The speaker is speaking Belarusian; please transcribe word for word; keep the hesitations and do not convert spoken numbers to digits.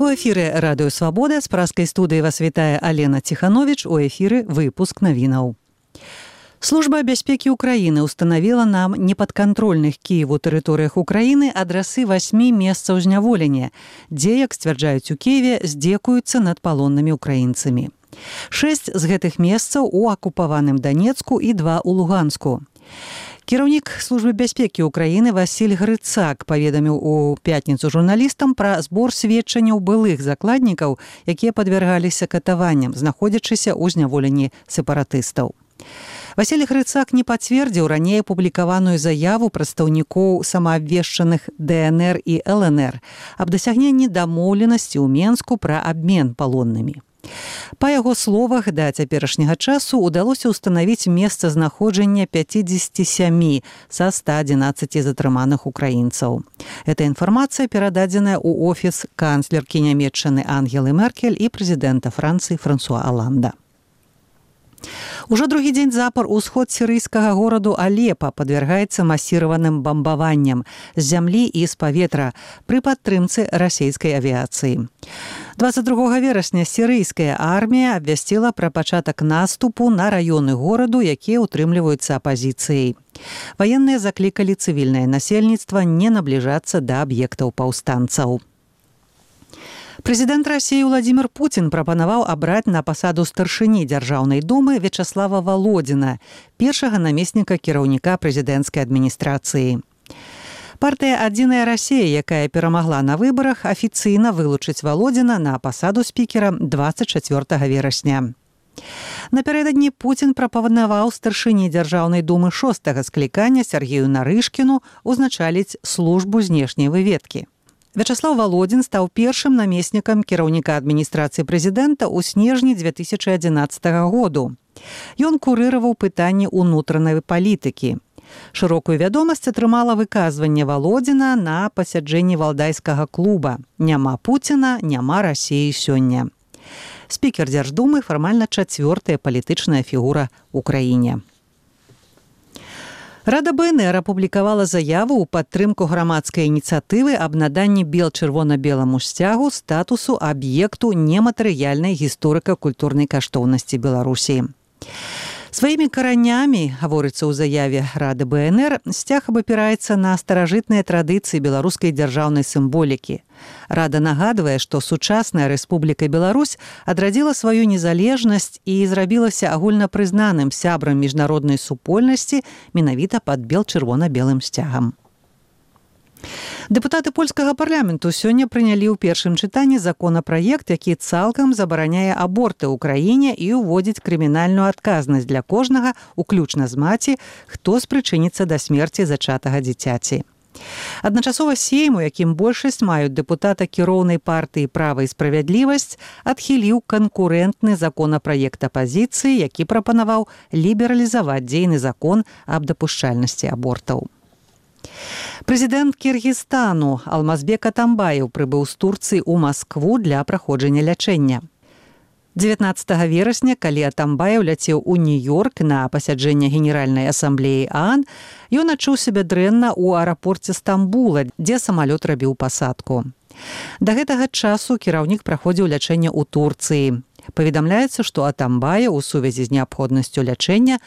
У эфіры радыё Свабода з праскай студыі вас вітае Алена Ціхановіч, у эфіры выпуск навінаў. Служба бяспекі Украіны устанавіла нам непадкантрольных Кіеву тэрыторыях Украіны адрасы васьмі месцаў зняволення, дзе, як сцвярджаюць у Кіеве, здзекуюцца над палоннымі украінцамі. Шэсць з гэтых месцаў у акупаваным Данецку і два ў Луганску. Кіраўнік службы бяспекі Украіны Васіль Грыцак паведаміў у пятніцу журналістам пра збор сведчанняў былых закладнікаў, якія падвяргаліся катаванням, знаходзячыся ў зняволенні сепаратыстаў. Васіль Грыцак не пацвердзіў раней апублікаваную заяву прадстаўнікоў самаабвешчаных дэ эн эр і эл эн эр аб дасягненні дамоўленасці ў Менску пра абмен палоннымі. Па яго словах, да цяперашняга часу удалося ўстанавіць месцазнаходжання пяцідзесяці сямі са ста адзінаццаці затрыманых украінцаў. Эта інфармацыя перададзеная ў офіс канцлеркі Нямецчыны Ангелы Меркель і прэзідэнта Францыі Франсуа Аланда. Ужо другі дзень запар усход сірыйскага гораду Алепа падвяргаецца масіраваным бамбаванням з зямлі і з паветра пры падтрымцы расійскай авіяцыі. дваццаць другога верасня сірыйская армія абвясціла пра пачатак наступу на раёны гораду, якія ўтрымліваюцца апазіцыяй. Ваенныя заклікалі цывільнае насельніцтва не набліжацца да аб'ектаў паўстанцаў. Прэзідэнт Расіі Владзімір Пуцін прапанаваў абраць на пасаду старшыні Дзяржаўнай думы Вячаслава Валодзіна, першага намесніка кіраўніка прэзідэнцкай адміністрацыі. Партыя «Адзіная Расія», якая перамагла на выбарах, афіцыйна вылучыць Валодзіна на пасаду спікера дваццаць чацвёртага верасня. Напярэдадні Пуцін прапанаваў старшыні Дзяржаўнай думы шостага склікання Сергею Нарышкіну узначаліць службу знешняй выведкі. Вячаслаў Валодзін стаў першым намеснікам кіраўніка адміністрацыі прэзідэнта ў снежні дзве тысячы адзінаццатага году. Ён курыраваў пытанні ўнутранай палітыкі. Шырокую вядомасць атрымала выказванне Валодзіна на пасяджэнні валдайскага клуба «Няма Пуціна, няма Расіі сёння». Спікер Дзярждумы фармальна чацвёртая палітычная фігура ў краіне. Рада бэ эн эр апублікавала заяву ў падтрымку грамадскай ініцыятывы аб наданні бел-чырвона-беламу сцягу статусу аб'екту нематэрыяльнай гісторыка-культурнай каштоўнасці Беларусі. Сваімі каранямі, гаворыцца ў заяве Рады бэ эн эр, сцяг абапіраецца на старажытныя традыцыі беларускай дзяржаўнай сімволікі. Рада нагадвае, што сучасная Рэспубліка Беларусь адрадзіла сваю незалежнасць і зрабілася агульнапрызнаным сябрам міжнароднай супольнасці менавіта пад бел-чырвона-белым сцягам. Дэпутаты польскага парламенту сёння прынялі ў першым чытанні законапраект, які цалкам забараняе аборты ў краіне і ўводзіць крымінальную адказнасць для кожнага, уключна з маці, хто спрычыніцца да смерці зачатага дзіцяці. Адначасова сейм, у якім большасць маюць дэпутата кіроўнай партыі «Права і справядлівасць», адхіліў канкурэнтны законапраект апазіцыі, які прапанаваў лібералізаваць дзейны закон аб дапушчальнасці абортаў. Прэзідэнт Кіргізстану Алмазбек Атамбаев прыбыў з Турцыі ў Маскву для праходжання лячэння. дзевятнаццатага верасня, калі Атамбаев ляцеў у Нью-Йорк на пасяджэнне Генеральнай асамблеі ААН, ён адчуў сябе дрэнна ў аэрапорце Стамбула, дзе самалёт рабіў пасадку. Да гэтага часу кіраўнік праходзіў лячэнне ў Турцыі. Паведамляецца, што Атамбаев у сувязі з неабходнасцю лячэння